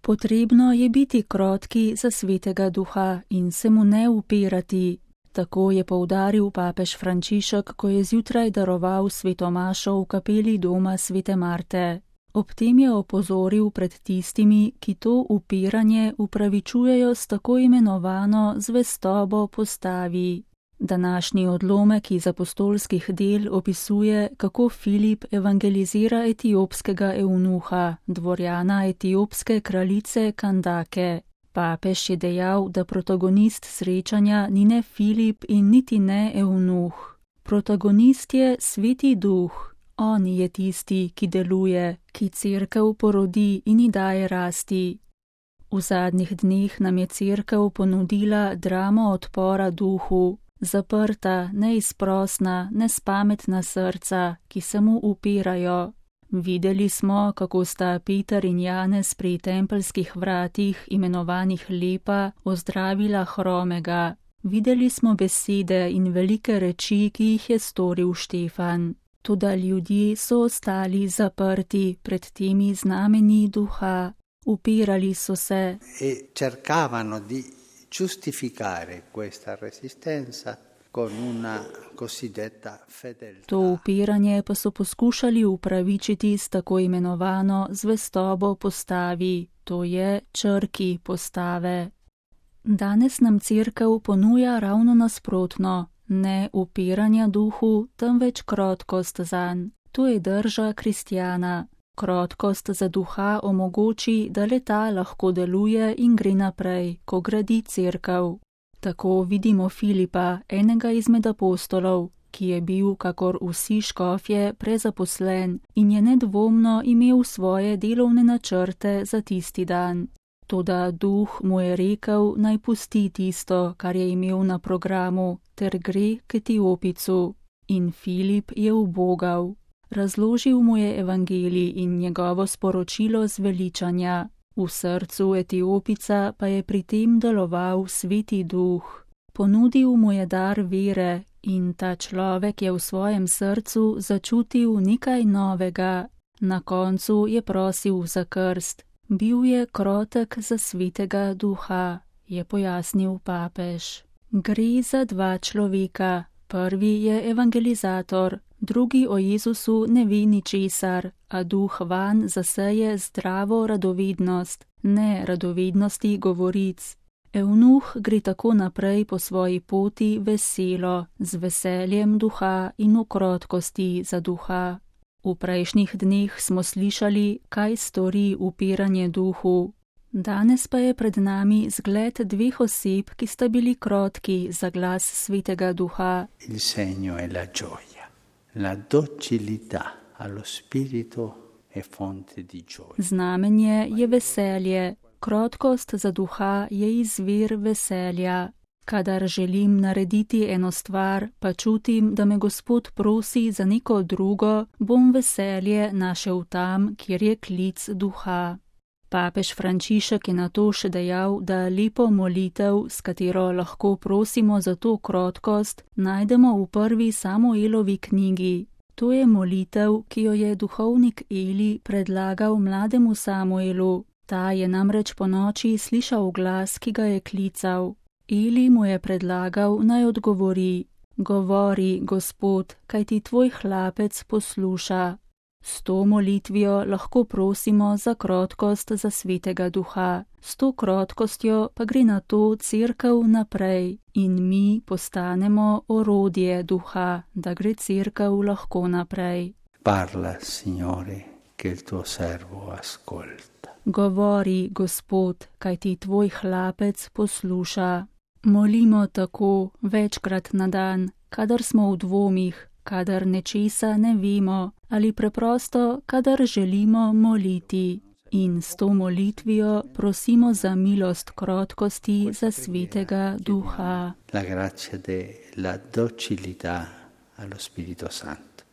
Potrebno je biti krotki za Svetega Duha in se mu ne upirati. Tako je poudaril papež Frančišek, ko je zjutraj daroval sveto mašo v kapeli doma svete Marte. Ob tem je opozoril pred tistimi, ki to upiranje upravičujejo s tako imenovano zvestobo postavi. Današnji odlomek iz apostolskih del opisuje, kako Filip evangelizira etiopskega eunuha, dvorjana etiopske kraljice Kandake. Papež je dejal, da protagonist srečanja ni ne Filip in niti ne eunuh. Protagonist je Sveti Duh. On je tisti, ki deluje, ki cerkev porodi in ji daje rasti. V zadnjih dneh nam je cerkev ponudila dramo odpora duhu, zaprta, neizprosna, nespametna srca, ki se mu upirajo. Videli smo, kako sta Peter in Janez pri tempeljskih vratih, imenovanih Lepa, ozdravila hromega. Videli smo besede in velike reči, ki jih je storil Štefan. Toda ljudje so ostali zaprti pred temi znamenji duha. Upirali so se. Cercavano di giustificare questa resistenza con una cosiddetta fedeltà. To upiranje pa so poskušali upravičiti s tako imenovano zvestobo postavi, to je črki postave. Danes nam cerkev ponuja ravno nasprotno, ne upiranja duhu, temveč krotkost zanj. To je drža kristjana. Krotkost za duha omogoči, da le-ta lahko deluje in gre naprej, ko gradi cerkev. Tako vidimo Filipa, enega izmed apostolov, ki je bil, kakor vsi škofje, prezaposlen in je nedvomno imel svoje delovne načrte za tisti dan. Toda duh mu je rekel, naj pusti tisto, kar je imel na programu, ter gre k Etiopicu. In Filip je ubogal. Razložil mu je evangelij in njegovo sporočilo zveličanja. V srcu Etiopica pa je pri tem deloval Sveti Duh. Ponudil mu je dar vere in ta človek je v svojem srcu začutil nekaj novega. Na koncu je prosil za krst. Bil je krotek za Svetega Duha, je pojasnil papež. Gre za dva človeka. Prvi je evangelizator, drugi o Jezusu ne ve ničesar, a duh vanj zaseje zdravo radovednost, ne radovednosti govoric. Eunuh gre tako naprej po svoji poti veselo, z veseljem duha in v krotkosti za duha. V prejšnjih dneh smo slišali, kaj stori upiranje duhu. Danes pa je pred nami zgled dveh oseb, ki sta bili krotki za glas Svetega Duha. Il segno è la gioia, la docilità allo spirito è fonte di gioia. Znamenje je veselje, krotkost za duha je izvir veselja. Kadar želim narediti eno stvar, pa čutim, da me Gospod prosi za neko drugo, bom veselje našel tam, kjer je klic duha. Papež Frančišek je na to še dejal, da lepo molitev, s katero lahko prosimo za to krotkost, najdemo v prvi Samuelovi knjigi. To je molitev, ki jo je duhovnik Eli predlagal mlademu Samuelu. Ta je namreč ponoči slišal glas, ki ga je klical. Eli mu je predlagal, naj odgovori: Govori, Gospod, kajti tvoj hlapec posluša. S to molitvijo lahko prosimo za krotkost za Svetega Duha. S to krotkostjo pa gre na to cerkev naprej in mi postanemo orodje duha, da gre cerkev lahko naprej. Parla, Signore, che il tuo servo ascolta. Govori, Gospod, kajti tvoj hlapec posluša. Molimo tako večkrat na dan, kadar smo v dvomih, kadar nečesa ne vemo ali preprosto, kadar želimo moliti. In s to molitvijo prosimo za milost krotkosti za Svetega Duha. La grazia della docilità allo Spirito Santo.